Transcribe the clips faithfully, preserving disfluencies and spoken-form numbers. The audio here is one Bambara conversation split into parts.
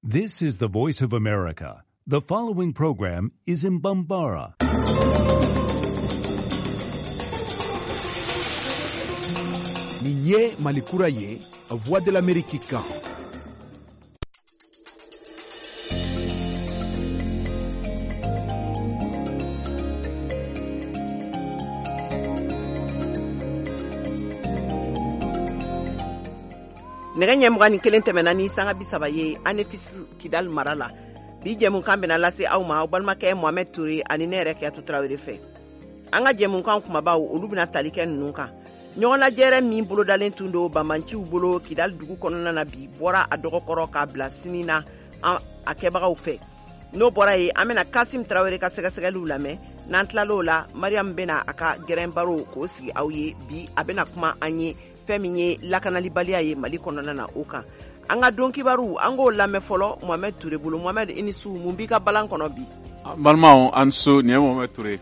This is the Voice of America. The following program is in Bambara. Nin ye Mali kura ye, Voix de l'Amérique kan. Nɛgɛ ɲɛ mugan ni kelen tɛmɛna ni sanga bi saba ye Anefis Kidal mara la. Bi jɛmukan bɛna lase aw ma aw balimakɛ Mohamed Touré ani ne yɛrɛ Kiyatu Tarawele fɛ. An ka jɛmukan kumabaw olu bɛna tali kɛ ninnu kan. Ɲɔgɔnnajɛrɛ min bolodalen tun don banbaanciw bolo Kidal dugu kɔnɔna na bi bɔra a dɔgɔkɔrɔ k'a bila sini na a kɛbagaw fɛ. N'o bɔra yen, an bɛna Kasim Tarawele ka sɛgɛsɛgɛliw lamɛn. N'an tilal'o la, Mariam bɛna a ka gɛrɛn baro k'o sigi aw ye bi. A bɛna kuma an ye fɛn min ye lakanalibaliya ye Mali kɔnɔna na o kan. An ka don kibaru an k'o lamɛn fɔlɔ Mohamed Touré bolo. Mohamed, i ni su, mun b'i ka balan kɔnɔ bi? An balimaw, an su, nin ye Mohamed Touré.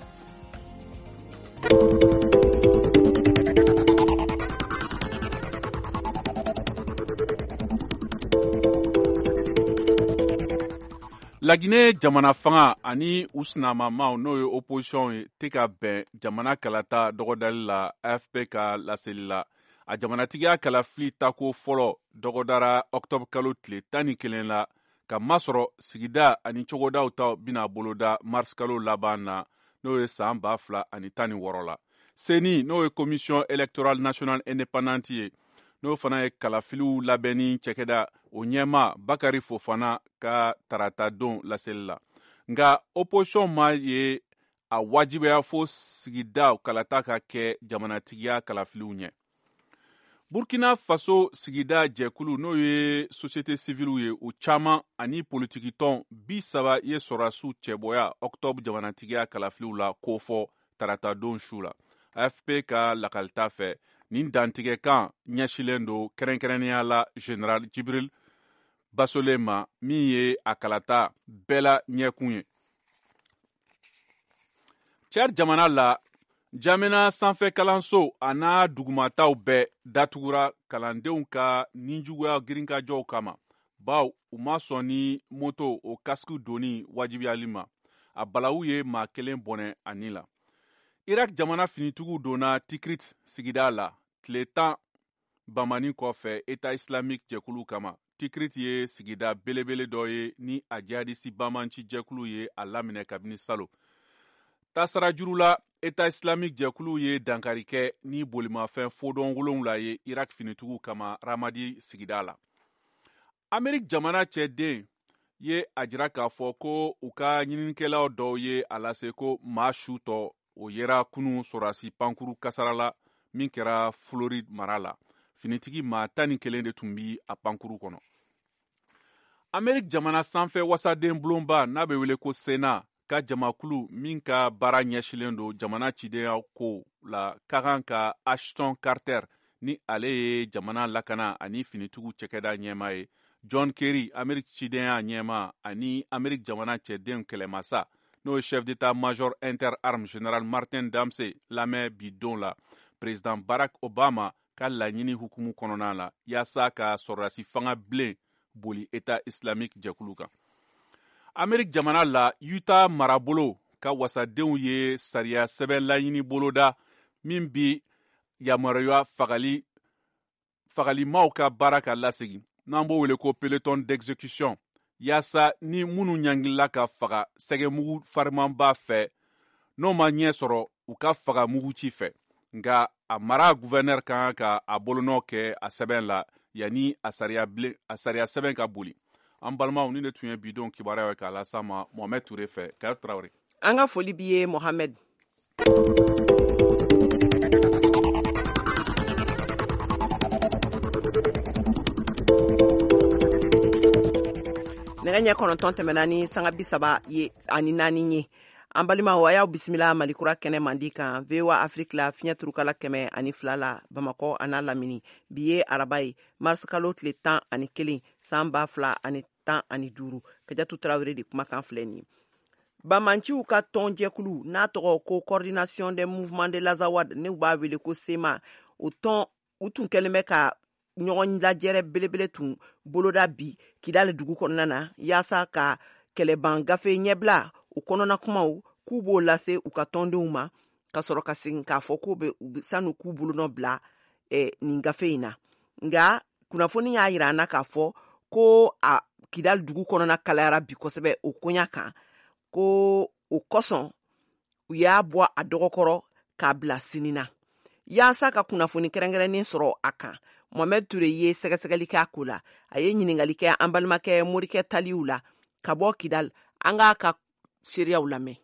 Laginɛ jamana fanga ani u sinamamaw n'o ye opposition ye tɛ ka bɛn jamana kalata dɔgɔdali la A F P ka laseli la. A jamanatigiya kalafili tako fɔlɔ dɔgɔdara octobre kalo tile tan ni kelen la ka masɔrɔ sigida ani cogodaw ta bɛna boloda mars kalo laban na n'o ye san ba fila ani tan ni wɔɔrɔ la. CENI n'o ye commission électorale nationale indépendante ye n'o fana ye kalafiliw labɛnni cɛkɛda o ɲɛma Bakari Fofana ka tarata don laseli la. Nka opposition ma ye a wajibiya fo sigida kalata ka kɛ jamanatigiya kalafiliw ɲɛ. Burkina Faso sigida jɛkulu n'o ye société civile ye o caman ani politikitɔn bi saba ye sɔrɔdasiw cɛbɔya octobre jamanatigiya kalafiliw la kofɔ tarata don su la. A F P ka lakalita fɛ nin dantigɛkan ɲɛsilen don kɛrɛnkɛrɛnnenya la Général Jibril Basole ma min ye a kalata bɛɛ la ɲɛkun ye. Tchad jamana la, Jamana sanfɛ kalanso a n'a dugumataw bɛɛ datugura kalandenw ka ninjuguya girinkajɔw kama baw u ma sɔn ni moto o kasiki donni wajibiyali ma. A balawu ye maa kelen bɔnɛ a ni la. Irak jamana finitigiw donna Tikrit sigida la tile tan bamani kɔfɛ État islamique jɛkulu kama. Tikrit ye sigida belebele dɔ ye ni a jihadisi bamanci jɛkulu ye a laminɛ kabini salo. Tasara juru la, État islamique jɛkulu ye dankari kɛ ni bolimafɛn fodɔn wolonwula ye Irak finitigiw kama Ramadi sigida la. Amerique jamana cɛden ye a jira k'a fɔ ko u ka ɲininikɛlaw dɔw ye a lase ko maa su tɔ o yera kunu sɔrɔdasi pankuru kasara la min kɛra Floride mara la. Finitigi maa tan ni kelen de tun bi a pankuru kɔnɔ. Amerique jamana sanfɛ wasaden bulonba n'a bɛ wele ko Sénat ka jamakulu min ka baara ɲɛsilen don jamana cidenya ko la ka kan ka Ashton Carter ni ale ye jamana lakana ani finitigiw cɛkɛda ɲɛmaa ye, John Kerry Amerique cidenya ɲɛmaa ani Amerique jamana cɛdenw kɛlɛmasa n'o ye chef d'état-major interarmes général Martin Dempsey lamɛn bi don la président Barack Obama ka laɲini hukumu kɔnɔna la yaasa ka sɔrɔdasi fanga bilen boli État islamique jɛkulu kan. Amerique jamana la, Utah marabolo ka wasadenw ye sariya sɛbɛn laɲini boloda min bi yamaruya fagali fagalimaw ka baara ka lasegin n'an b'o wele ko peloton d'exécution yaasa ni minnu ɲangilila ka faga sɛgɛmugu farimanba fɛ n'o ma ɲɛ sɔrɔ u ka faga muguci fɛ. Nka a mara gouverneur ka kan ka a bolonɔ kɛ a sɛbɛn la yanni a sariya bilen a sariya sɛbɛn ka boli. An balimaw, ni ne tun ye bidon kibaruya ye k'a las'a ma Mohamed Touré fɛ. Kayatu Tarawele. An ka foli b'i ye Mohamed. Nɛgɛ ɲɛ kɔnɔntɔn tɛmɛna ni sanga bi saba ye ani naani ye. An balimaw, a y'aw bisimila Malikura kɛnɛ mandi kan V O A Afrique la fiɲɛ turukala kɛmɛ ani fila la Bamakɔ a n'a lamini. Bi ye araba ye, mars kalo tile tan ani kelen san ba fila ani tan ani duuru. Kajatu Tarawele de kumakan filɛ nin ye. Bamanciw ka tɔnjɛkulu n'a tɔgɔ ko Coordination des mouvements de l'Azawad, n'u b'a wele ko SEMA, o tɔn u tun kɛlen bɛ ka ɲɔgɔn lajɛrɛ belebele tun boloda bi Kidali dugu kɔnɔna na yaasa ka kɛlɛban gafe ɲɛbila o kɔnɔna kumaw k'u b'o lase u ka tɔndenw ma, ka sɔrɔ ka segin k'a fɔ k'u bɛ sanu k'u bolonɔ bila eh, nin gafe in na. Nka kunnafoni y'a yira an na k'a fɔ ko a Kidali dugu kɔnɔna kalayara bi kosɛbɛ o koɲa kan, ko o kosɔn u y'a bɔ a dɔgɔkɔrɔ k'a bila sini na. Yaasa ka kunnafoni kɛrɛnkɛrɛnnen sɔrɔ a kan, Mohamed Touré ye sɛgɛsɛgɛli kɛ a ko la. A ye ɲininkali kɛ an balimakɛ Morikɛ Taliw la ka bɔ Kidali. An k'a ka seereyaw lamɛn.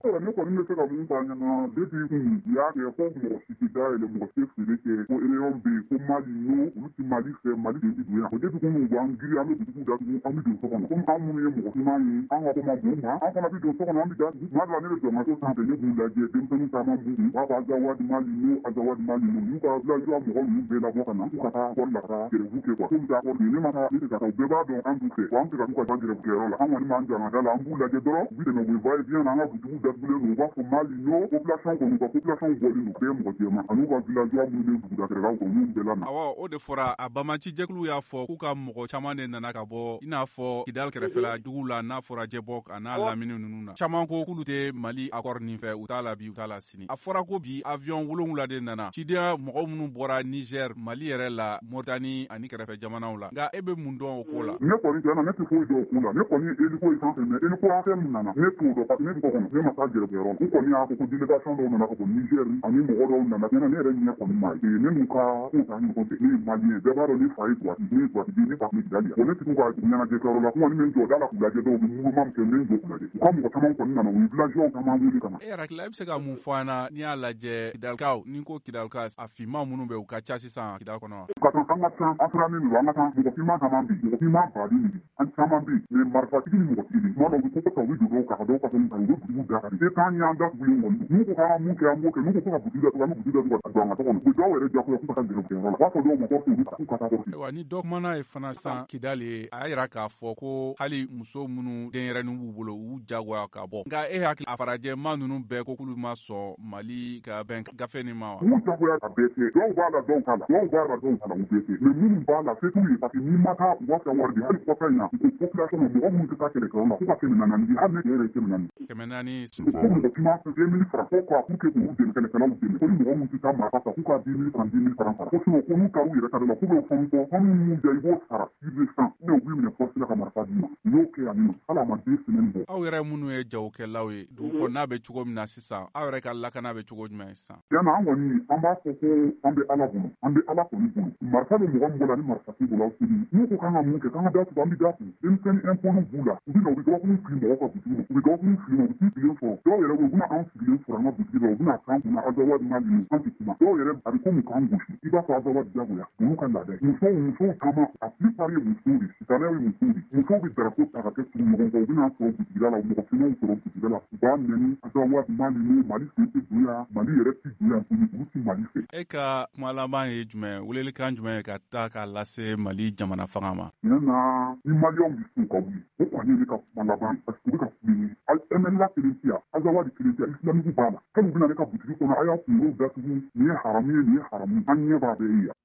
Ne kɔni bɛ se ka mun fɔ a ɲɛna, depuis kun u y'a kɛ ko mɔgɔ si tɛ dayɛlɛ, mɔgɔ tɛ feere kɛ, ko réunion bɛ yen, ko Mali n'o olu tɛ Mali fɛ, Mali de tɛ don yan. O depuis kun u b'an giri, an bɛ butigiw datugu, an bɛ don so kɔnɔ. Komi an minnu ye mɔgɔ finman ye, an ka ko ma bon ma, an fana bɛ don so kɔnɔ, an bɛ datugu. Tuma dɔ la ne bɛ jɔ n ka so sanfɛ, ne b'u lajɛ, denmisɛnnin caman b'u kun, u b'a fɔ Azawadi Mali n'o, Azawadi Mali n'o, n'u ka villageois mɔgɔ ninnu bɛɛ labɔ ka na, k'u ka taa kɔri la ka taa grève kɛ quoi. Komi taa kɔri ne ma taa, ne tɛ ka taa, u bɛɛ b'a dɔn an b'u fɛ, wa an tɛ ka t'u ka taa grève kɛyɔrɔ la. An kɔni b'an jɔ an ka da la, an b'u lajɛ dɔrɔn, u bɛ tɛmɛ, u bɛ va et vient na, an ka butigiw datugulen don, u b'a fɔ Mali n'o, population kɔni, u ka population bɔlen don, bɛɛ mɔgɔ jɛman, an'u ka villageois minnu bɛ duguda kɛrɛdaw kɔnɔ, n'u bɛɛ la na. Awɔ, o de fɔra. A banbaanci jɛkulu y'a fɔ k'u ka mɔgɔ caman de nana ka bɔ i n'a fɔ Kidali kɛrɛfɛla duguw la, n'a fɔra Jɛbɔk a n'a lamini ninnu na. Caman ko k'olu tɛ Mali accord nin fɛ, u t'a la bi, u t'a la sini. A fɔra ko bi avion wolonwula de nana, cidenya mɔgɔ minnu bɔra Niger, Mali yɛrɛ la, Mauritanie ani kɛrɛfɛ jamanaw la. Nka e bɛ mun dɔn o ko la? Ne kɔni tiɲɛ na, ne tɛ foyi dɔn o ko la. Ne kɔni ye hélico ye sanfɛ, mais hélico hakɛ min nana, ne t'o dɔn, parce que ne bɛ kɔ kɔnɔ, ne ma taa gɛrɛfɛyɔrɔ la. U kɔni y'a fɔ ko délégation dɔw nana ka bɔ Niger, ani mɔgɔ dɔw nana. Tiɲɛ na, ne yɛrɛ ɲɛ kɔni ma ye. Ne n'u ka ko t'an ɲɔgɔn cɛ. Ne ye Malien, bɛɛ b'a dɔn ne fa ye Tuwati, ne ye Tuwati den, ne fa tun bɛ Kidali yan. Bon, ne tɛ t'u ka ɲɛnajɛ kɛyɔrɔ la, n kɔni bɛ n jɔ da la k'u lajɛ, dɔw bɛ mouvement min kɛ, n bɛ n jɔ k'u lajɛ. U ka mɔgɔ caman kɔni nana, u ye villageois caman wele ka na. E yɛrɛ hakili la, e bɛ se ka mun fɔ an na n'i y'a lajɛ Kidalikaw, ni ko Kidalika, a finman minnu bɛ, u ka ca sisan Kidal kɔnɔ wa? Ka kan, an ka ca, an sirannen don, an ka ca, mɔgɔ finman caman bɛ yen, mɔgɔ finman baden de bɛ yen, an caman bɛ yen, mais marifatigi ni mɔgɔtigi de. Tuma dɔw u bɛ koko ta, u bɛ don dɔw kan, ka dɔw ka fɛnw ta, u bɛ butigiw da kari. Se t'an ye, an datugulen kɔni don. N'u ko k'an ka mun kɛ, an b'o kɛ. N'u ko ko ka butigi datugu, an bɛ butigi datugu ka don an ka so kɔnɔ. U bɛ dɔw yɛrɛ jagoya k'u ka taa grève kɛyɔrɔ la. U b'a fɔ dɔw ma ko k'u ka taa kɔrɔsi. Ayiwa, ni dɔ kumana ye fana sisan Kidali ye, a y'a yira k'a fɔ ko hali muso minnu denyɛrɛninw b'u bolo, u y'u jagoya ka bɔ. Nka e hakili, a farajɛma ninnu bɛɛ ko k'olu ma sɔn Mali ka bɛn gafe nin ma wa? M'u jagoya a bɛɛ tɛ. Dɔw b'a la, dɔw t'a la. Dɔw b'a la, dɔw t'a la, u bɛɛ tɛ. Mais minnu b'a la, se t'u ye, parce que n'i ma taa, u b'a fɛ wari di. Hali kɔfɛ in na, u ko population ma, mɔgɔ minnu tɛ taa kɛlɛkɛyɔrɔ la, k'u ka kɛmɛ naani di. Hali ne yɛrɛ ye kɛmɛ naani. Kɛmɛ naani. Ko mɔgɔ caman fɛ deux mille francs, ko quoi, pour que k'u dɛmɛ, kɛlɛkɛlaw dɛmɛ. Ko ni mɔgɔ minnu tɛ taa marifa ta, k'u ka dix mille francs, dix mille francs sara. Ko sinon, ko n'u taar'u yɛrɛ ta de la, k'u bɛ fɛn bɔ, fɛn minnu diya, i b'o sara sur le champ, ou bien u b'i minɛ force la ka marifa d'i ma. U y'o kɛ yan nɔ, hali a ma deux semaines bɔ. Aw yɛrɛ minnu ye jagokɛlaw ye, dugu kɔnɔna bɛ cogo min na sisan, aw yɛrɛ ka lakana bɛ cogo jumɛn sisan? Tiɲɛ na, an kɔni, an b'a fɔ ko an bɛ Ala bolo, an bɛ Ala kɔni bolo. Marifa bɛ mɔgɔ min bolo ani marifa t'i bolo, aw tɛ. N'u ko k'an ka mun kɛ, k'an ka datugu, an bɛ datugu. Denmisɛnnin impôts b'u la, u bɛ na, u bɛ gabakuru fili mɔgɔw ka butigi ma, u bɛ gabakuru fili ma, u bɛ t'u sigilen sɔrɔ. Dɔw yɛrɛ bɛ yen, u bɛna anw sigilen sɔrɔ an ka butigi la, u bɛna k'an kunna Azawadi Mali, an tɛ kuma. Dɔw yɛrɛ a bɛ komi k'an gosi, i b'a fɔ Azawadi jagoya, olu ka laada ye. Musow, musow caman, a plupart ye musow de, sitanɛw ye musow de. Musow bɛ drapeau ta ka kɛ tugu ɲɔgɔn kɔ, u bɛna sɔrɔ butigida la, mɔgɔ finmanw sɔrɔ butigida la, u b'a nɛni Azawadi Mali, Mali sen tɛ don yan, Mali yɛrɛ tɛ don yan tuguni, olu tɛ Mali fɛ. E ka kuma laban ye jumɛn, welelikan jumɛn ye ka taa k'a lase Mali jamana fanga ma? Tiɲɛ na, ni Maliyɛnw bɛ se ka wuli, o kɔni ye ne ka kuma laban ye, parce que u bɛ ka kule. M N L A kelen tɛ yan, Azawadi kelen tɛ yan, Islamique b'a la. Hali u bɛna ne ka butigi kɔnɔ, a y'a kunkolo datugu, nin ye haramu ye, nin ye haramu, an ɲɛ b'a bɛɛ ye yan.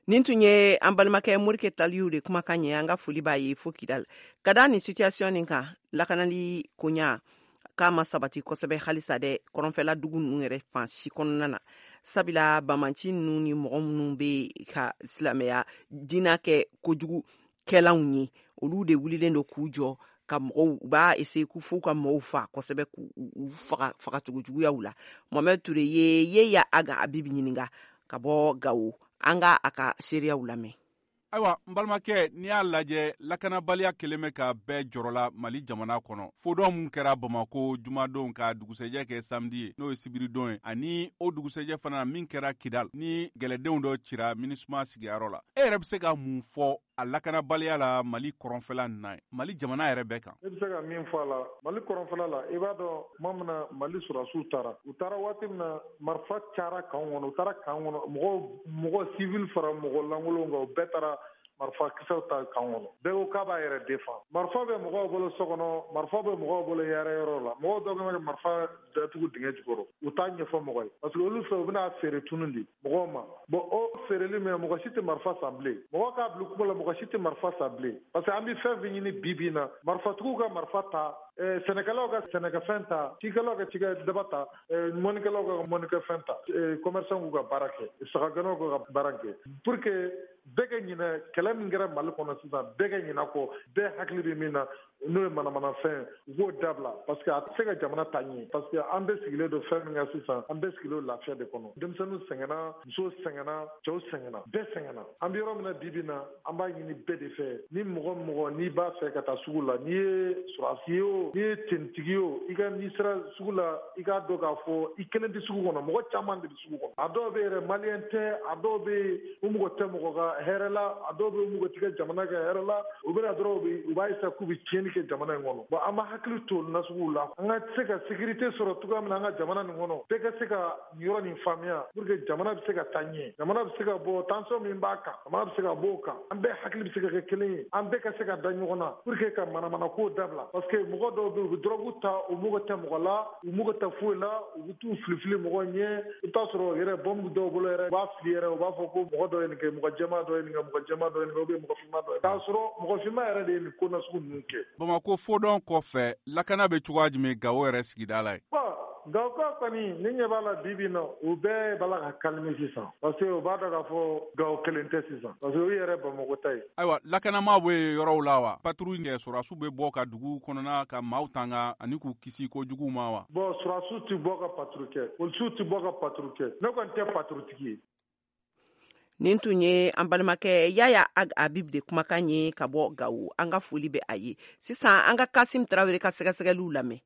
Nin tun ye an balimakɛ Morike Taliw de kumakan ye, an ka foli b'a ye fo Kidal. Ka da nin situation nin kan, lakanali koɲa k'a ma sabati kosɛbɛ halisa dɛ, kɔrɔnfɛla dugu ninnu yɛrɛ fan si kɔnɔna na. Sabula banbanci ninnu ni mɔgɔ minnu bɛ ka silamɛya diinɛ kɛ kojugu kɛlanw ye, olu de wulilen don k'u jɔ ka mɔgɔw, u b'a essayer k'u f'u ka mɔgɔw fa kosɛbɛ, k'u faga fagacogo juguyaw la. Mohamed Touré ye Yeya Aga Habib ɲininka ka bɔ Gawo, an ka a ka seereyaw lamɛn. Ayiwa, n balimakɛ, n'i y'a lajɛ, lakanabaliya kelen bɛ ka bɛɛ jɔrɔla Mali jamana kɔnɔ. Fodɔn mun kɛra Bamako jumadon ka dugusɛjɛ kɛ samedi ye, n'o ye sibiridon ye, ani o dugusɛjɛ fana min kɛra Kidal, ni gɛlɛdenw dɔ cira MINUSMA sigiyɔrɔ la. E yɛrɛ bɛ se ka mun fɔ a lakanabaliya la Mali kɔrɔnfɛla nin na ye, Mali jamana yɛrɛ bɛɛ kan? Ne bɛ se ka min fɔ a la Mali kɔrɔnfɛla la, i b'a dɔn tuma min na Mali sɔrɔdasiw taara, u taara waati min na marifa cayara kan kɔnɔ, u taara kan kɔnɔ, mɔgɔ mɔgɔ civil fara mɔgɔ lankolonw kan, u bɛɛ taara marifa kisɛw ta kan kɔnɔ. Bɛɛ ko k'a b'a yɛrɛ défend. Marifa bɛ mɔgɔw bolo so kɔnɔ, marifa bɛ mɔgɔw bolo yɛrɛ yɔrɔ la. Mɔgɔw dɔw bɛ marifa datugu dingɛ jukɔrɔ, u t'a ɲɛfɔ mɔgɔ ye parce que olu fɛ u bɛna feere tunu di mɔgɔw ma. Bon o feereli min mɔgɔ si tɛ marifa san bilen, mɔgɔ k'a bila kuma la mɔgɔ si tɛ marifa san bilen parce que an bɛ fɛn fɛn ɲini bi bi in na, marifatigiw ka marifa ta, sɛnɛkɛlaw ka sɛnɛkɛfɛn ta, cikɛlaw ka cikɛdaba ta, mɔnikɛlaw ka mɔnikɛfɛn ta, commerçant k'u ka baara kɛ, sagagɛnnaw k'u ka baara kɛ pour que bɛɛ ka ɲinɛ kɛlɛ min kɛra Mali kɔnɔ sisan, bɛɛ ka ɲinɛ kɔ, bɛɛ hakili bɛ min na n'o ye manamanafɛn, u k'o dabila parce que a tɛ se ka jamana ta ɲɛ parce que an bɛɛ sigilen don fɛn min kan sisan, an bɛɛ sigilen don lafiya de kɔnɔ. Denmisɛnninw sɛgɛnna, musow sɛgɛnna, cɛw sɛgɛnna, bɛɛ sɛgɛnna. An bɛ yɔrɔ min na bi bi in na, an b'a ɲini bɛɛ de fɛ, ni mɔgɔ mɔgɔ n'i b'a fɛ ka taa sugu la, n'i ye sɔrɔdasi ye o, n'i ye tenitigi ye o, i ka n'i sera sugu la, i k'a dɔn k'a fɔ i kelen tɛ sugu kɔnɔ, mɔgɔ caman de bɛ sugu kɔnɔ. A dɔw bɛ yɛrɛ maliyɛn tɛ, a dɔw bɛ yen u mɔgɔ tɛ mɔgɔ ka hɛrɛ la, a dɔw bɛ yen u mɔgɔ tɛ kɛ jamana ka hɛrɛ la, u bɛna dɔrɔn u b'a essayer k'u bɛ tiɲɛni kɛ jamana in kɔnɔ. Bon an b'a hakili to nasuguw la, an ka se ka sécurité sɔrɔ cogoya min na an ka jamana nin kɔnɔ, bɛɛ ka se ka nin yɔrɔ nin faamuya pour que jamana bɛ se ka taa ɲɛ, jamana bɛ se ka bɔ tension min b'a kan, jamana bɛ se ka bɔ o kan, an bɛɛ hakili bɛ se ka kɛ kelen ye, an bɛɛ ka se ka da ɲɔgɔn na pour que ka manamanako dabila parce que mɔgɔ dɔw bɛ yen u bɛ drogue ta, u mago tɛ mɔgɔ la, u mago tɛ foyi la, u bɛ t'u filifili mɔgɔ ɲɛ, i bɛ taa sɔrɔ yɛrɛ bombe dɔw bolo yɛrɛ, u b'a fili yɛrɛ, u b'a fɔ ko mɔgɔ dɔ ye nin kɛ, mɔgɔ jɛman dɔ ye nin kɛ, mɔgɔ jɛman dɔ ye nin kɛ, ou bien mɔgɔ finman dɔ ye, k'a sɔrɔ mɔgɔ finman yɛrɛ de ye nin ko nasugu ninnu kɛ. Bamakɔ fodɔn kɔfɛ, lakana bɛ cogoya jumɛn Gawo yɛrɛ sigida la yen? Gawo kɔni ne ɲɛ b'a la bi bi in na, u bɛɛ b'a la ka calmer sisan parce que u b'a dɔn k'a fɔ Gawo kelen tɛ sisan parce que u yɛrɛ Bamakɔ ta ye. Ayiwa, lakanama bɛ yɔrɔw la wa? Patrouille kɛ, sɔrɔdasiw bɛ bɔ ka dugu kɔnɔna ka maaw tanga ani k'u kisi kojugu ma wa? Bon sɔrɔdasiw tɛ bɔ ka patrouille kɛ, polisiw tɛ bɔ ka patrouille kɛ, ne kɔni tɛ patrouille tigi ye. Nin tun ye an balimakɛ Yaya Ag Habib de kumakan ye ka bɔ Gawo. An ka foli bɛ a ye. Sisan an ka Kasim Tarawele ka sɛgɛsɛgɛliw lamɛn.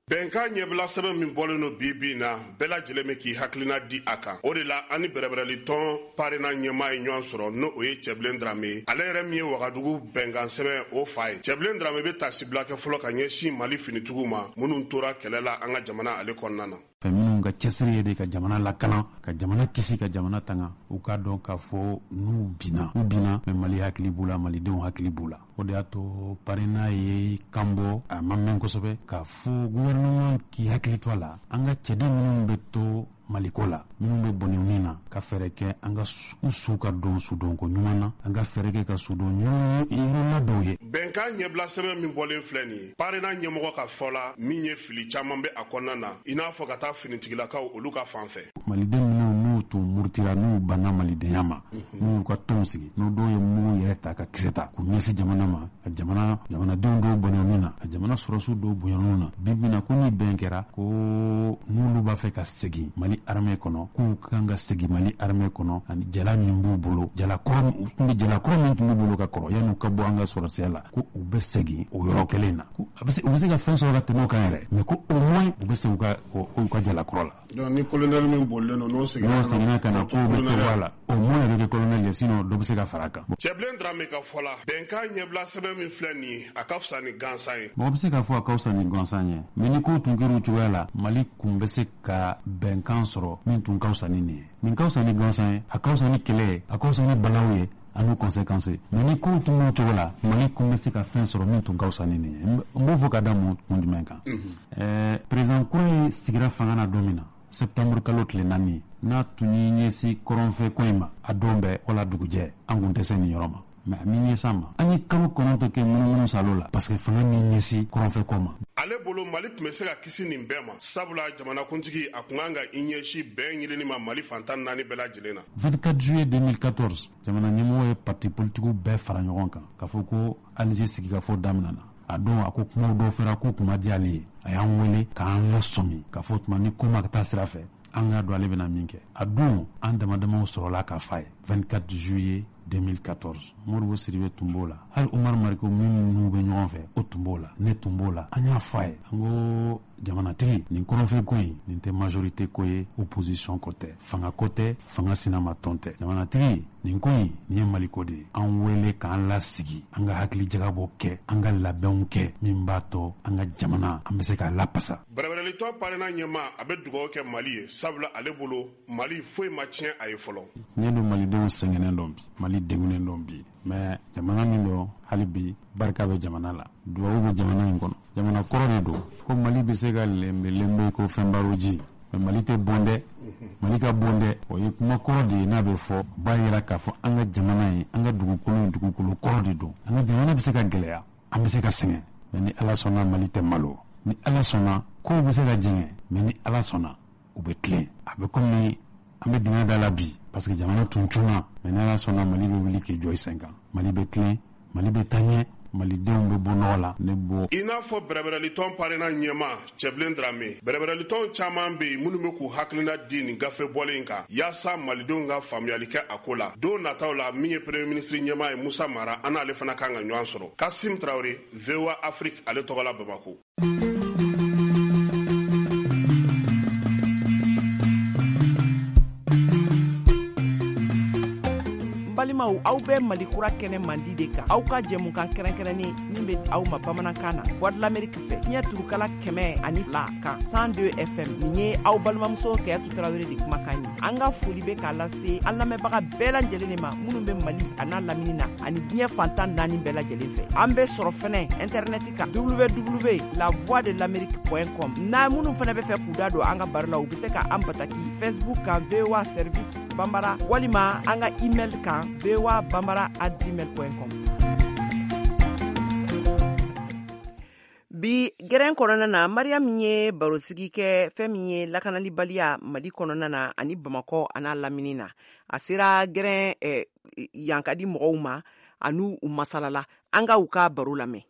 Bɛnkan ɲɛbila sɛbɛn min bɔlen don bi bi in na, bɛɛ lajɛlen bɛ k'i hakilina di a kan. O de la an ni bɛrɛbɛrɛli tɔn PARENA ɲɛmaa ye ɲɔgɔn sɔrɔ, n'o o ye Cɛbilen Darame ye. Ale yɛrɛ min ye Wagadugu bɛnkan sɛbɛn o fa ye. Cɛbilen Darame bɛ tasibila kɛ fɔlɔ ka ɲɛsin Mali finitigiw ma minnu tora kɛlɛ la an ka jamana ale kɔnɔna na. Fɛn minnu ka cɛsiri ye de ka jamana lakalan, ka jamana kisi, ka jamana tanga, u k'a dɔn k'a fɔ n'u binna, u binna, mais Mali hakili b'u la, malidenw hakili b'u la. O de y'a to PARENA ye kan bɔ, a ma mɛn kosɛbɛ, k'a fɔ gouvernement k'i hakili to a la, an ka cɛden minnu bɛ to Maliko la, minnu bɛ bɔnɛ min na, ka fɛɛrɛ kɛ an ka u su ka don sudonko ɲuman na, an ka fɛɛrɛ kɛ ka sudon yɔrɔ dɔw ye. Bɛnkan ɲɛbila sɛbɛn min bɔlen filɛ nin ye, PARENA ɲɛmɔgɔ ka fɔ la, min ye fili caman bɛ a kɔnɔna na, i n'a fɔ ka taa finitigilakaw olu ka fan fɛ. Maliden minnu n'u tun murutira, n'u banna malidenya ma, n'u y'u ka tɔnw sigi, n'u dɔw ye mugu yɛrɛ ta ka kisɛ ta k'u ɲɛsin jamana ma, ka jamana jamanadenw dɔw bɔnɛ min na, ka jamana sɔrɔsiw dɔw bonya ninnu na, bi bi na ko ni bɛn kɛra ko n'olu b'a fɛ ka segin Mali armée kɔnɔ, k'u kan ka segin Mali armée kɔnɔ ani jala min b'u bolo, jala kɔrɔ u tun bɛ jala kɔrɔ min tun b'u bolo ka kɔrɔ yan'u ka bɔ an ka sɔrɔsiya la, ko u bɛ segin o yɔrɔ kelen na, ko a bɛ se u bɛ se ka fɛn sɔrɔ ka tɛmɛ o kan yɛrɛ, mais ko au moins u bɛ segin u ka u ka jala kɔrɔ la. Donc ni colonel min bolilen don n'o seginna n'o seginna ka na, k'o bɛ to a la, au moins a bɛ kɛ colonel ye, sinon dɔ bɛ se ka fara a kan. Cɛbilen Darame ka fɔ la, bɛnkan ɲɛbila sɛbɛn min filɛ nin ye, a ka fisa ni gansan ye. Mɔgɔ bɛ se k'a fɔ a ka fisa ni gansan ye, mais ni kow tun kɛra o cogoya la, Mali kun bɛ se ka bɛnkan sɔrɔ min tun ka fisa ni nin ye. Nin ka fisa ni gansan ye, a ka fisa ni kɛlɛ ye, a ka fisa ni balaw ye, ani conséquences ye. Mais ni kow tun b'o cogo la, Mali kun bɛ se ka fɛn sɔrɔ min tun ka fisa ni nin ye. N b'o fɔ ka da mun kun jumɛn kan? Ɛɛ président kura ye sigira fanga na don min na, septembre kalo tile naani, n'a tun y'i ɲɛsin kɔrɔnfɛ ko in ma, a don bɛɛ wala dugujɛ, an kun tɛ se nin yɔrɔ ma. Mais a min ɲɛsin a ma, an ye kalo kɔnɔntɔn kɛ munumunu salo la parce que fanga min ɲɛsin kɔrɔnfɛ ko ma. Ale bolo Mali tun bɛ se ka kisi nin bɛɛ ma, sabula jamanakuntigi a kun kan ka i ɲɛsin bɛn ɲinini ma Mali fantan naani bɛɛ lajɛlen na. vingt-quatre juillet deux mille quatorze, jamana ɲɛmɔgɔ ye parti politikiw bɛɛ fara ɲɔgɔn kan k'a fɔ ko Alger sigikafɔ daminɛna. A don a ko kumaw dɔw fɔra k'u kun ma diya ale ye, a y'an wele k'an lasɔmi k'a fɔ tuma ni ko ma ka taa sira fɛ, an k'a dɔn ale bɛna min kɛ. A don an dama damaw sɔrɔla k'a f'a ye vingt-quatre juillet deux mille quatorze. Modibo Sidibe tun b'o la, hali Umar Mariko minnu n'u bɛ ɲɔgɔn fɛ o tun b'o la, ne tun b'o la. An y'a f'a ye, an ko Jamanatigi, nin kɔrɔnfɛ ko in, nin tɛ majorité ko ye, opposition ko tɛ, fanga ko tɛ, fanga sinamatɔn tɛ. Jamanatigi, nin ko in, nin ye Mali ko de ye. An wele k'an lasigi, an ka hakili jagabɔ kɛ, an ka labɛnw kɛ min b'a to an ka jamana an bɛ se k'a lapasa. Bɛrɛbɛrɛlitɔn PARENA ɲɛmaa, a bɛ dugawu kɛ Mali ye, sabula ale bolo Mali foyi ma tiɲɛ a ye fɔlɔ. Tiɲɛ don, Malidenw sɛgɛnnen dɔn bi, Mali degunnen dɔn bi, mais jamana min don, hali bi barika bɛ jamana la, duwawu bɛ jamana in kɔnɔ. Jamana kɔrɔ de don ko Mali bɛ se ka lenbe lenbe ko fɛnbaroji, mais Mali tɛ bon dɛ, Mali ka bon dɛ. O ye kuma kɔrɔ de ye, n'a bɛ fɔ b'a yira k'a fɔ an ka jamana in, an ka dugukolo in, dugukolo kɔrɔ de don. An ka jamana bɛ se ka gɛlɛya, an bɛ se ka sɛgɛn, mais ni Ala sɔnna Mali tɛ malo. Ni Ala sɔnna kow bɛ se ka jɛngɛ, mais ni Ala sɔnna u bɛ tilen. A bɛ komi an bɛ dingɛ da la bi, parce que jamana tun cunna, mais ni Ala sɔnna Mali bɛ wuli k'i jɔ i sen kan. Mali bɛ tilen, Mali bɛ taa ɲɛ, Malidenw bɛ bɔ nɔgɔ la. Ne bɔ i n'a fɔ bɛrɛbɛrɛlitɔn PARENA ɲɛmaa Cɛbilen Darame, bɛrɛbɛrɛlitɔn caman bɛ yen minnu bɛ k'u hakilina di nin gafe bɔlen in kan yaasa Malidenw ka faamuyali kɛ a ko la. Don nataw la, min ye premier ministre ɲɛmaa ye Musa Mara, an n'ale fana kan ka ɲɔgɔn sɔrɔ. Kasim Tarawele, V O A Afrique, ale tɔgɔ la Bamako. Balimaw, aw bɛ Mali kura kɛnɛ mandi de kan, aw ka jɛmukan kɛrɛnkɛrɛnnen min bɛ aw ma bamanankan na, Voix de l'Amérique fɛ, fiɲɛ turukala kɛmɛ ani fila kan cent deux F M. Nin ye aw balimamuso Kayatu Tarawele de kumakan ye. An ka foli bɛ k'a lase an lamɛnbaga bɛɛ lajɛlen de ma minnu bɛ Mali a n'a lamini na ani diɲɛ fantan naani bɛɛ lajɛlen fɛ. An bɛ sɔrɔ fɛnɛ internet kan w w w la voix de l'amérique point com. N'a minnu fɛnɛ bɛ fɛ k'u da don an ka baro la, u bɛ se ka an bataki Facebook kan V O A Service Bambara, walima an ka email kan v o a bambara at gmail point com. Bi gɛrɛn kɔnɔna na, Mariam ye barosigi kɛ fɛn min ye lakanalibaliya Mali kɔnɔna na ani Bamakɔ a n'a lamini na. A sera gɛrɛn eh, yankadi mɔgɔw ma ani u masalala. An ka u ka baro lamɛn.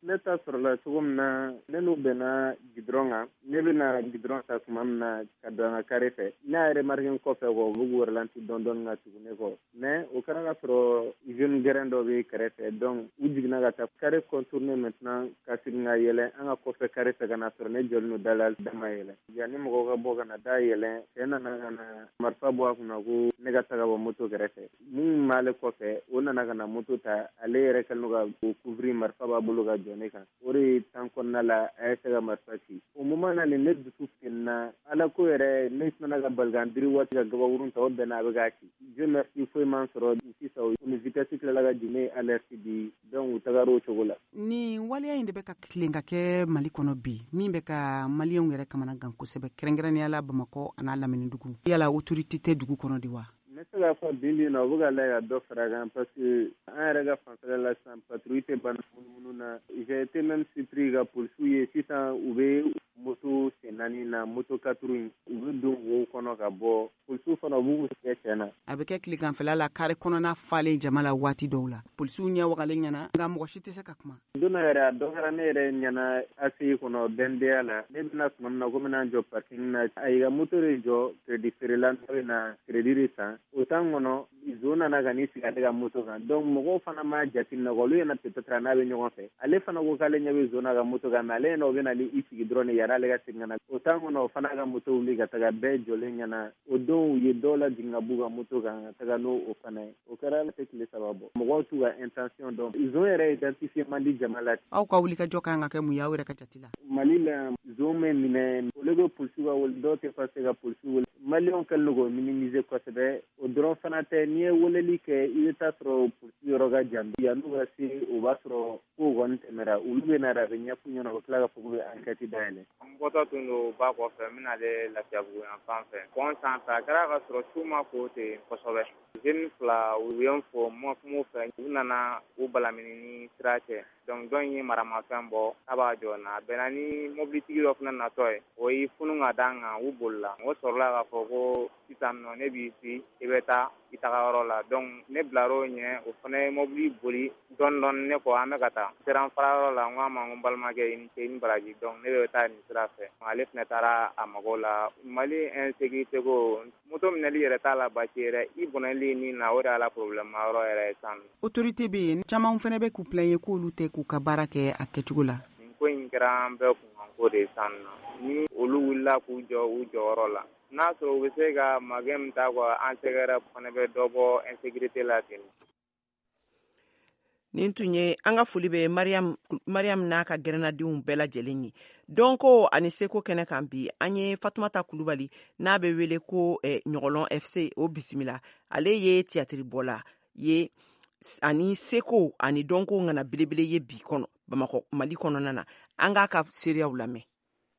Ne ta sɔrɔla cogo min na, ne n'u bɛnna gidɔrɔn kan. Ne bɛna gidɔrɔn ta tuma min na ka don an ka kare fɛ, ne y'a remarqué n kɔfɛ kɔ, u bɛ k'u ralenti dɔɔni dɔɔni ka tugu ne kɔ. Mais o kɛra ka sɔrɔ jeune gɛrɛn dɔ bɛ kɛrɛfɛ, donc u jiginna ka taa kare contourner maintenant ka segin ka yɛlɛ an ka kɔfɛ kare fɛ ka na sɔrɔ ne jɔlen don da la, da ma yɛlɛ. Yanni mɔgɔw ka bɔ ka na da yɛlɛ, cɛ nana ka na marifa bɔ a kunna ko ne ka taga bɔ moto kɛrɛfɛ. Mun b'ale kɔfɛ, o nana ka na moto ta, ale yɛrɛ kɛlen don ka o couvrir, marifa b'a bolo ka jɔ ne kan. O de tan kɔnɔna la, a ye se ka marifa ci. O moment na ne dusu fenna, Ala ko yɛrɛ, ne sinna ka bali ka n biri waati ka gabakurun ta, o bɛnna a bɛ k'a ci. Dieu merci, foyi m'an sɔrɔ sisan. U ni vitesse tilala ka jigin, ne ye alerte di, donc u tagara o cogo la. Nin waleya in de bɛ ka tilen ka kɛ Mali kɔnɔ bi, min bɛ ka maliyɛnw yɛrɛ kamana gan kosɛbɛ, kɛrɛnkɛrɛnnenya la Bamakɔ a n'a lamini dugu. Yala autorité tɛ dugu kɔnɔ de wa? N bɛ se k'a fɔ bi bi in na, u bɛ ka lajɛ ka dɔ fara a kan, parce que an yɛrɛ ka fanfɛla la sisan, patrouille tɛ ban munumunu na. J'ai été même surpris ka polisiw ye sisan, u bɛ moto sen naani na, moto quatre in, u bɛ don wo kɔnɔ ka bɔ. Polisiw fana u b'u sɛgɛ tiɲɛ na. A bɛ kɛ tileganfɛla la, kare kɔnɔna falen jama la waati dɔw la, polisiw ɲɛ wagalen ɲɛna, nka mɔgɔ si tɛ se ka kuma. Don dɔ yɛrɛ, a dɔ kɛra ne yɛrɛ ɲɛna A C I kɔnɔ B N D A la. Ne bɛna tuma min na ko n bɛna jɔ parking na, a y'i ka moto de jɔ crédit feerela, ne bɛna crédit de san. O temps kɔnɔ, zon nana ka n'i sigi ale ka moto kan. Donc mɔgɔw fana m'a jateminɛ, olu ɲɛna peut-être a n'a bɛ ɲɔgɔn fɛ. Ale fana ko k'ale ɲɛ bɛ zon na ka moto kan, mais ale ɲɛna o bɛ na i sigi dɔrɔn de yanni ale ka segin ka na. O temps kɔnɔ, o fana ka moto wuli ka taga, bɛɛ jɔlen ɲɛna. O don u ye dɔw lajigin ka b'u ka moto kan ka taga n'o o fana ye. O kɛra tɛ tile saba bɔ. Mɔgɔw t'u ka intention dɔn. Zon yɛrɛ identifié man di jama la. Aw ka wulikajɔ kan ka kɛ mun ye aw yɛrɛ ka jate la? Mali la, zon bɛ minɛ, olu bɛ polisiw ka wele, dɔw tɛ se ka polisiw wele. Maliyɛnw kɛlen don k'o minimiser kosɛbɛ. O dɔrɔn fana tɛ, n'i ye weleli kɛ, i bɛ taa sɔrɔ polisi yɔrɔ ka jan. Yan'u ka se, o b'a sɔrɔ kow kɔni tɛmɛra. Olu bɛ na, a bɛ ɲɛf'u ɲɛna, u bɛ tila ka fɔ k'u bɛ enquête dayɛlɛ. N bɔtɔ tun don ba kɔfɛ, n bɛna Lafiyabugu yan fan fɛ. Pɔn sanfɛ, a kɛra ka sɔrɔ su ma ko ten kosɛbɛ. Jeune fila, u ye n fo, n ma kuma u fɛ. U nana u balamini ni sira cɛ. Donc dɔ in ye maramafɛn bɔ k'a b'a jɔ n na. A bɛnna ni mobilitigi dɔ fana natɔ ye, o y'i funu ka d'an kan, u bolila. O sɔrɔla k'a fɔ ko sisan nɔ ne b'i si, i bɛ taa i tagayɔrɔ la. Donc ne bilar'o ɲɛ, o fana ye mobili boli dɔɔni dɔɔni ne kɔ, an bɛ ka taa. Sera n farayɔrɔ la, n ko a ma ko n balimakɛ i ni ce, i ni baraji. Donc ne bɛ taa nin sira fɛ. Ale fana taara a mago la. Mali insécurité ko, moto minɛli yɛrɛ t'a la baasi yɛrɛ, i bɔnɛli nin na, o de y'a la problème yɔrɔ yɛrɛ ye sisan. Autorité bɛ yen, caman fana bɛ k'u plaigner k'olu tɛ k'u ka baara kɛ a kɛcogo la. Nin ko in kɛra an bɛɛ kun ko de ye san nɔ. Ni olu wulila k'u jɔ u jɔyɔrɔ la, n'a sɔrɔ u bɛ se ka magɛn min ta quoi an sɛgɛrɛ fana bɛ dɔ bɔ insécurité la ten. Nin tun ye an ka foli bɛ Mariam Mariam n'a ka gɛrɛnnadenw bɛɛ lajɛlen ye. Dɔnko ani seko kɛnɛ kan bi, an ye Fatumata Kulubali n'a bɛ wele ko eh, Ɲɔgɔlɔn F C o bisimila. Ale ye tiyatiribɔla ye ani seko ani dɔnko ŋana belebele ye bi kɔnɔ Bamakɔ Mali kɔnɔna na. An k'a ka seereyaw lamɛn.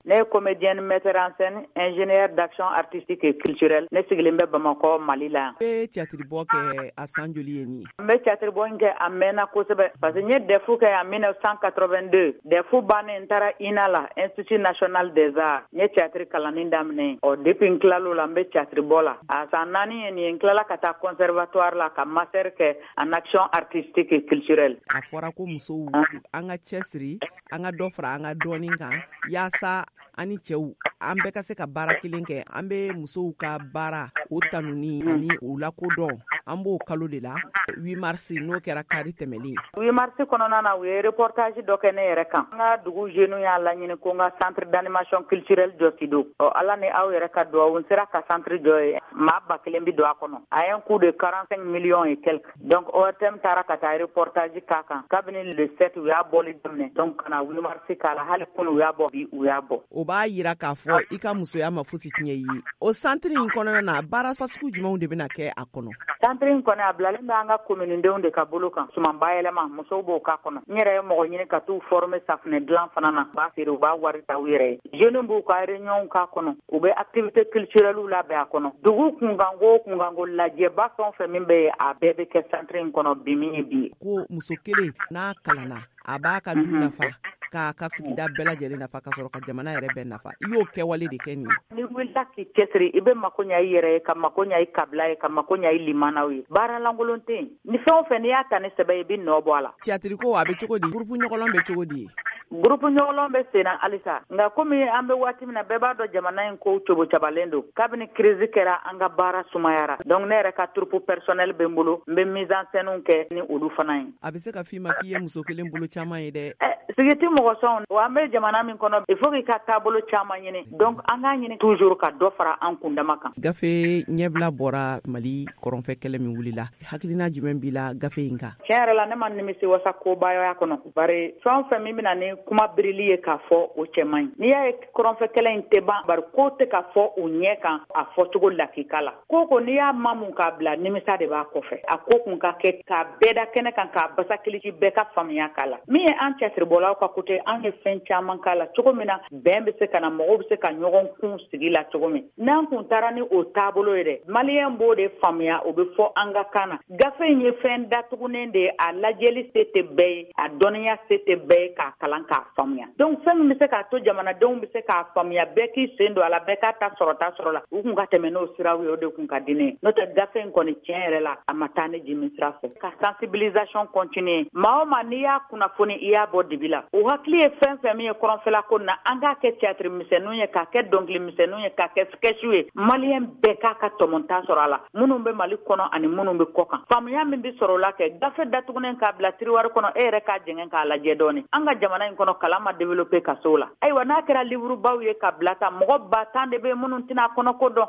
Ne ye comédienne, metteur en scène, ingénieur d'action artistique et culturelle. Ne sigilen bɛ Bamakɔ, Mali la yan. I bɛ tiyatiribɔ kɛ a san joli ye nin ye? N bɛ tiyatiribɔ in kɛ a mɛnna kosɛbɛ parce que n ye D E F kɛ en mille neuf cent quatre-vingt-deux. D E F bannen, n taara I N A la, Institut national des arts. N ye tiyatiri kalanni daminɛ. Ɔ depuis n tilal'o la, n bɛ tiyatiribɔ la. A san naani ye nin ye, n tilala ka taa conservatoire la ka master kɛ en action artistique et culturelle. A fɔra ko musow an ka cɛsiri, an ka dɔ fara an ka dɔɔni kan yaasa an ni cɛw an bɛɛ ka se ka baara kelen kɛ. An bɛ musow ka baara o tanuni ani o lakodɔn, an b'o kalo de la, huit mars, n'o kɛra kari tɛmɛlen. huit mars kɔnɔna na, u ye reportage dɔ kɛ ne yɛrɛ kan. N ka dugu jeunes y'a laɲini ko n ka centre d'animation culturelle jɔ Sido. Ɔ Ala ni aw yɛrɛ ka duwawu, n sera ka centre jɔ ye, maa ba kelen bi don a kɔnɔ. A ye un coût de quarante-cinq millions et quelques. Donc O R T M taara ka taa reportage k'a kan. Kabini le sept u y'a bɔli daminɛ, donc ka na huit mars k'a la, hali kunu u y'a bɔ, bi u y'a bɔ. O b'a yira k'a fɔ i ka musoya ma fosi tiɲɛ i ye. O centre in kɔnɔna na, baara fasugu jumɛnw de bɛna kɛ a kɔnɔ? Centre in kɔni, a bilalen bɛ an ka kominidenw de ka bolo kan. Suman bayɛlɛma, musow b'o k'a kɔnɔ. N yɛrɛ ye mɔgɔ ɲini ka t'u former safunɛ dilan fana na, u b'a feere, u b'a wari ta u yɛrɛ ye. Jeunes b'u ka réunion k'a kɔnɔ, u bɛ activité culturelle labɛn a kɔnɔ. Dugu kunkanko o kunkanko lajɛba fɛn o fɛn min bɛ yen, a bɛɛ bɛ kɛ centre in kɔnɔ bi min ye bi ye. Ko muso kelen n'a kalanna, a b'a ka du nafa, k'a ka sigida bɛɛ lajɛlen nafa, ka sɔrɔ ka jamana yɛrɛ bɛɛ nafa. I y'o kɛwale de kɛ nin ye. N'i wulila k'i cɛsiri, i bɛ mako ɲa i yɛrɛ ye, ka mako ɲa i kabila ye, ka mako ɲa i limanaw ye. Baara lankolon tɛ yen. Ni fɛn o fɛn n'i y'a ta ni sɛbɛ ye, i bɛ nɔ bɔ a la. Tiyatiriko a bɛ cogo di? Groupe Ɲɔgɔlɔn bɛ cogo di? Groupe Ɲɔgɔlɔn bɛ sen na halisa, nka komi an bɛ waati min na, bɛɛ b'a dɔn jamana in ko cogo cabalen don. Kabini crise kɛra, an ka baara sumayara. Donc ne yɛrɛ ka troupe personnel bɛ n bolo, n bɛ mise en scène kɛ ni olu fana ye. A bɛ se ka f'i ma k'i ye muso kelen bolo caman ye dɛ. Ɛ sigi tɛ mɔgɔ sɔn wa. An bɛ jamana min kɔnɔ, il faut k'i ka taabolo caman ɲini. Donc an k'a ɲini toujours ka dɔ fara an kundama kan. Gafe ɲɛbila bɔra Mali kɔrɔnfɛ kɛlɛ min wulila, hakilina jumɛn b'i la gafe in kan? Tiɲɛ yɛrɛ la, ne ma nimisi wasa kobayaya kɔnɔ, bari fɛn o fɛn min bɛna ni kuma birili ye k'a fɔ, o cɛ man ɲi. N'i y'a ye kɔrɔnfɛ kɛlɛ in tɛ ban, bari ko tɛ ka fɔ u ɲɛ kan a fɔcogo lakika la. Ko ko n'i y'a mamu k'a bila, nimisa de b'a kɔfɛ. A ko kun ka kɛ k'a bɛɛ da kɛnɛ kan, k'a basakilisi, bɛɛ ka faamuya k'a la. Min ye an cɛsiribɔlaw ka côté, an ye fɛn caman k'a la cogo min na bɛn bɛ se ka na, mɔgɔw bɛ se ka ɲɔgɔn kun sigi la cogo min. N'an kun taara ni o taabolo ye dɛ, maliyɛn b'o de faamuya, o bɛ fɔ an ka kan na. Gafe in ye fɛn datugunen de ye, a lajɛli se tɛ bɛɛ ye, a dɔnniya se tɛ bɛɛ ye k'a kalan k'a faamuya. Donc fɛn min bɛ se k'a to jamanadenw bɛ se k'a faamuya, bɛɛ k'i sen don a la, bɛɛ k'a ta sɔrɔta sɔrɔ la, u kun ka tɛmɛ n'o siraw ye, o de kun ka di ne ye. N'o tɛ, gafe in kɔni, tiɲɛ yɛrɛ la, a ma taa ne jimi sira fɛ. Ka sensibilisation continuer, maa o maa n'i y'a kunnafoni, i y'a bɔ dibi la, o hakili ye fɛn fɛn min ye kɔrɔnfɛla ko na, an k'a kɛ théâtre misɛnninw ye, k'a kɛ dɔnkili misɛnninw ye, k'a kɛ sketch ye, maliyɛn bɛɛ k'a ka tɔmɔta sɔrɔ a la, minnu bɛ Mali kɔnɔ ani minnu bɛ kɔ kan. Faamuya min bɛ sɔrɔ o la, kɛ gafe datugunen k'a bila tiroir kɔnɔ, e yɛrɛ k'a jɛngɛ k'a lajɛ dɔɔni. An ka jamana in kɔnɔ, kalan ma développer ka s'o la. Ayiwa, n'a kɛra livre baw ye ka bila ta, mɔgɔ ba tan de bɛ minnu tɛna a kɔnɔ ko dɔn.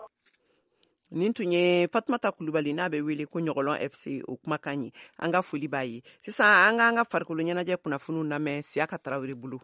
Nin tun ye Fatumata Kulubali n'a bɛ wele ko Ɲɔgɔlɔn F C o kumakan ye. An ka foli b'a ye. Sisan an k'an ka farikolo ɲɛnajɛ kunnafoniw lamɛn Siyaka Tarawele bolo.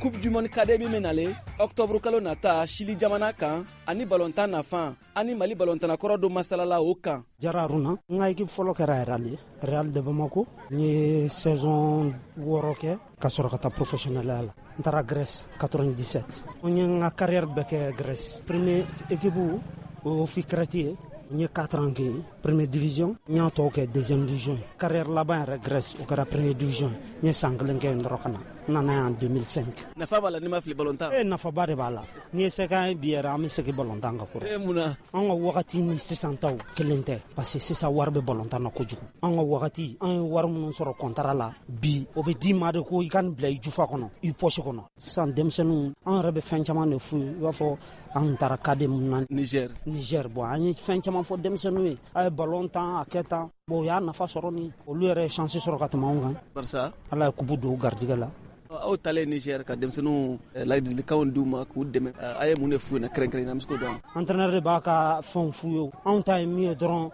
Coupe du monde cadet min bɛ nale octobre kalo nata Chili jamana kan, ani balontan nafan, ani Mali balontanakɔrɔ dɔ masalala o kan. Jara Aruna. N ka équipe fɔlɔ kɛra Real ye, Real de Bamako. N ye saison wɔɔrɔ kɛ ka sɔrɔ ka taa professionnel la. N taara Grèce quatre-vingt-dix-sept. N ye n ka carrière bɛɛ kɛ Grèce. Premier équipe, o ye OFI Crète ye. N ye quatre ans kɛ yen première division, n y'a tɔw kɛ deuxième division. Carrière laban yɛrɛ Grèce, o kɛra première division. N ye san kelen kɛ yen dɔrɔn ka na. N nana yan deux mille cinq. Nafa b'a la, n'i ma fili, balontan? E, nafaba de b'a la. N'i ye se k'an ye bi yɛrɛ, an bɛ segin balontan kan kura. E, mun na? An ka wagati ni sisan taw kelen tɛ, parce que sisan wari bɛ balontan na kojugu. An ka wagati, an ye wari minnu sɔrɔ contrat la, bi o bɛ d'i ma de ko i ka nin bila i jufa kɔnɔ, i poche kɔnɔ. Sisan denmisɛnninw, an yɛrɛ bɛ fɛn caman de f'u ye. I b'a fɔ an taara cadet mun na Niger. Niger, bon, an ye fɛn caman caman fɔ denmisɛnninw ye, a ye ballon tan, a kɛ tan. Bon, u y'a nafa sɔrɔ ni olu yɛrɛ ye chance sɔrɔ ka tɛmɛ anw kan. Barisa Ala ye coupe don u garijɛgɛ la. Aw talen Niger ka denmisɛnninw ladilikanw d'u ma k'u dɛmɛ, a ye mun de f'u ɲɛna kɛrɛnkɛrɛnnenya la, an bɛ se k'o dɔn? Entraîneur de b'a ka fɛnw f'u ye. Anw ta ye min ye dɔrɔn,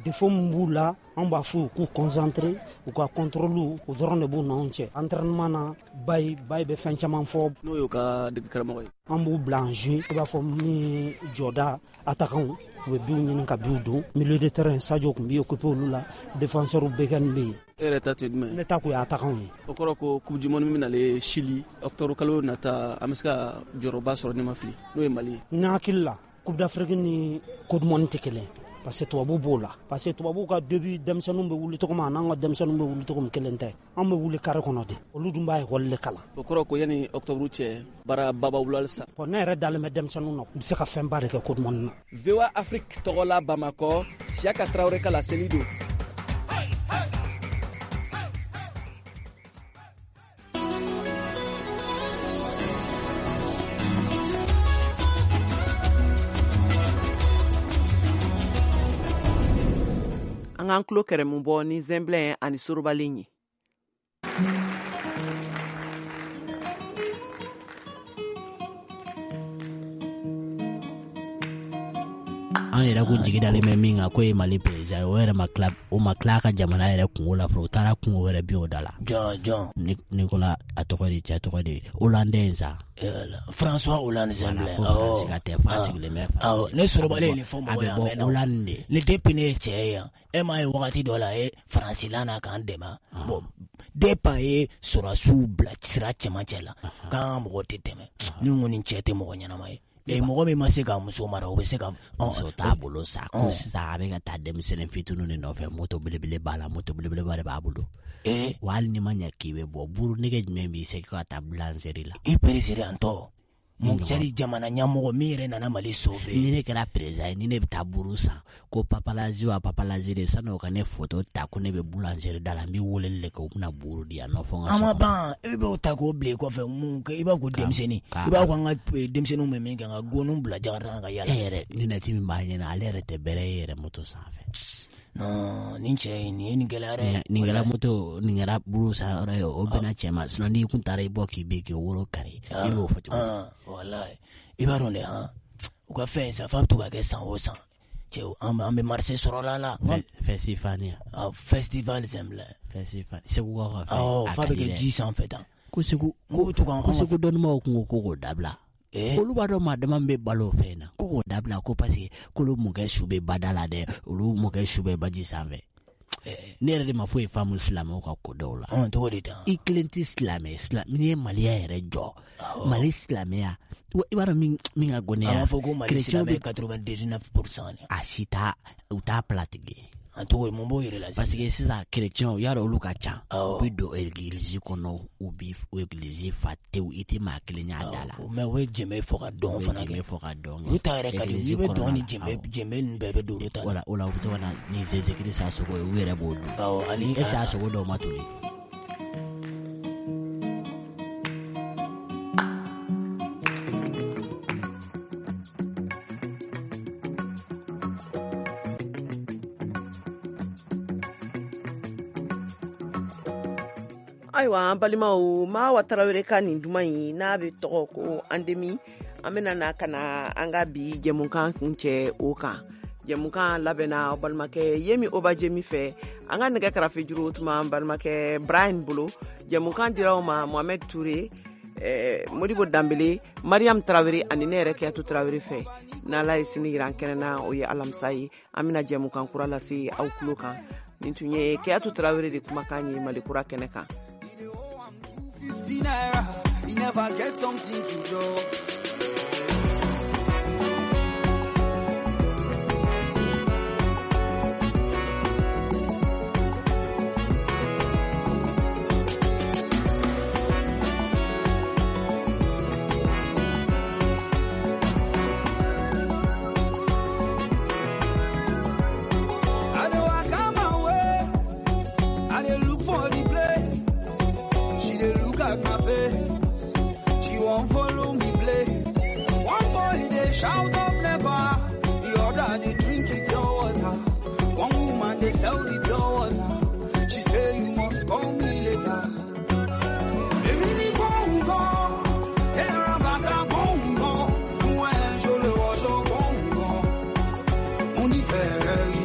défaut min b'u la, anw b'a f'u ye k'u concentrer, u ka contrôle, o dɔrɔn de b'u n'anw cɛ. Entraînement na, Bayi Bayi bɛ fɛn caman fɔ. N'o y'u ka dege karamɔgɔ ye. An b'u bila en jeu, i b'a fɔ min ye jɔda attaquant, u bɛ biw ɲini ka biw don. Milieu de terrain, Sadio tun b'i occupé olu la, défenseur Beken bɛ yen. E yɛrɛ ta tun ye jumɛn ye? Ne ta kun ye attaquant ye. O kɔrɔ ko coupe du monde min bɛ nalen Chili octobre kalo nata, an bɛ se ka jɔyɔrɔba sɔrɔ ne ma fili, n'o ye Mali ye. Ne hakili la, coupe d'Afrique ni coupe du monde tɛ kelen ye. Parce que tubabu b'o la, parce que tubabu ka début denmisɛnninw bɛ wuli cogo min, an'an ka denmisɛnninw bɛ wuli cogo min kelen tɛ. An bɛ wuli carré kɔnɔ de, olu dun b'a école de kalan. O kɔrɔ ko yanni octobre cɛ, baara ba b'aw bolo halisa. Bon, ne yɛrɛ dalen bɛ denmisɛnninw na, u bɛ se ka fɛnba de kɛ coupe du monde na. V O A Afrique tɔgɔ la Bamakɔ, Siyaka Tarawele ka laseli don. An k'an tulo kɛrɛmu bɔ ni zɛnbilɛn ani sorobalen ye. An yɛrɛ kun jigi dalen bɛ min kan k'o ye Mali président ye, o yɛrɛ ma tila, o ma tila a ka jamana yɛrɛ kungo la fɔlɔ, o taara kungo wɛrɛ bin o da la. Jɔn jɔn? Nicolas, a tɔgɔ de, cɛ tɔgɔ de, Hollande in sa. François Hollande Zɛnbilɛ. Voilà, fo Faransi ka tɛ, fa sigilen bɛ Faransi. Ne sorobalen ye nin fɔ mɔgɔ ye, a bɛ bɔ Hollande de. Ni depuis ne ye cɛ ye yan, e m'a ye wagati dɔ la a ye Faransi la na k'an dɛmɛ. Bon, depuis a ye sɔrɔdasiw bila sira cɛmancɛ la, k'an ka mɔgɔw tɛ tɛmɛ. Ni n ko nin cɛ tɛ mɔgɔ ɲɛnama ye. E mɔgɔ min ma se k'a muso mara, o bɛ se ka muso t'a bolo sa. Ko sisan a bɛ ka taa denmisɛnnin fitininw de nɔfɛ, moto belebele b'a la, moto belebeleba de b'a bolo. Wa hali n'i ma ɲɛ k'i bɛ bɔ, buru nege jumɛn b'i se ka taa boulangerie la? I président tɔ mun cɛri jamana ɲɛmɔgɔ min yɛrɛ nana Mali sauver. Ni ne kɛra président ye, ni ne bɛ taa buru san, ko papalazi wa papalazi de, sani o ka ne photo ta ko ne bɛ boulangerie da la, n bɛ weleli de kɛ, u bɛna buru di yan nɔ fo n ka so kɔnɔ. An ma ban, e b'o ta k'o bila i kɔfɛ, mun kɛ, i b'a ko denmisɛnnin, i b'a ko an ka denmisɛnninw bɛ min kɛ, ka goniw bila jakarta ka yala. E yɛrɛ lunette min b'a ɲɛna, ale yɛrɛ tɛ bɛrɛ ye yɛrɛ moto sanfɛ. Non, nin cɛ in, nin ye nin gɛlɛya dɛ. Nin kɛra moto, nin kɛra buru san yɔrɔ ye, o bɛnna cɛ ma. Sinon n'i kun taara i bɔ k'i bɛ k'i woro kari, i b'o fɔ cogo di? Walayi, i b'a dɔn dɛ, han, u ka fɛn sa, f'a bɛ to ka kɛ san o san. Cɛw, an bɛ marché sɔrɔ la la. Festival. Festival Zɛnbilɛ. Festival. Segu ka fɛn. Awɔ, f'a bɛ kɛ ji sanfɛ tan. Ko Segu, ko Segu dɔnnibaw kun ko k'o dabila. Olu b'a dɔn maa dama bɛ balo o fɛn na, ko k'o dabila, ko parce que k'olu mɔkɛ su bɛ bada la dɛ, olu mɔkɛ su bɛ baji sanfɛ. Ne yɛrɛ de ma foyi faamu silamɛw ka ko dɔw la. Cogo di tan? I kelen tɛ silamɛ, n'i ye Maliya yɛrɛ jɔ, Mali silamɛya, i b'a dɔn min min ka go ne ye. An b'a fɔ ko Mali silamɛ quatre-vingt-dix-neuf pour cent. A si t'a, u t'a pilatigi. An tɔgɔ mun b'o yɛrɛ la? Parce que sisan chrétiens, y'a dɔn olu ka ca. U bɛ don église kɔnɔ, u bɛ église fa tewu, i tɛ maa kelen y'a da la. Mais u bɛ jɛmɛ fɔ ka dɔn fana kɛ. U bɛ jɛmɛ fɔ ka dɔn. Olu ta yɛrɛ ka di, n'i bɛ dɔn ni jɛmɛ, jɛmɛ ninnu bɛɛ bɛ don olu ta la. O la, o la u bɛ to ka na ni Jésus Christ a sogo ye, u yɛrɛ b'o dun. Awɔ, ani e tɛ se a sogo dɔw ma toli. Ayiwa an balimaw, Mawa Tarawele ka nin duman in n'a bɛ tɔgɔ ko Andemi, an bɛna na ka na an ka bi jɛmukan kuncɛ o kan. Jɛmukan labɛnna aw balimakɛ Yemi Obajemi fɛ, an ka nɛgɛ karafe juru tuma an balimakɛ Brian bolo. Jɛmukan dira aw ma Mohamed Touré, eh, Modibo Danbele, Mariam Tarawele ani ne yɛrɛ Kiyatu Tarawele fɛ. N'Ala ye sini yira an kɛnɛ na, o ye alamisa ye, an bɛna jɛmukan kura lase aw tulo kan. Nin tun ye Kiyatu Tarawele de kumakan ye Mali kura kɛnɛ kan. fifty naira, he never get something to do. I know I come my way, I dey look for the place. She dey look at my face, she won't follow me play. One boy they shout up never, the other they drink it pure water. Mary.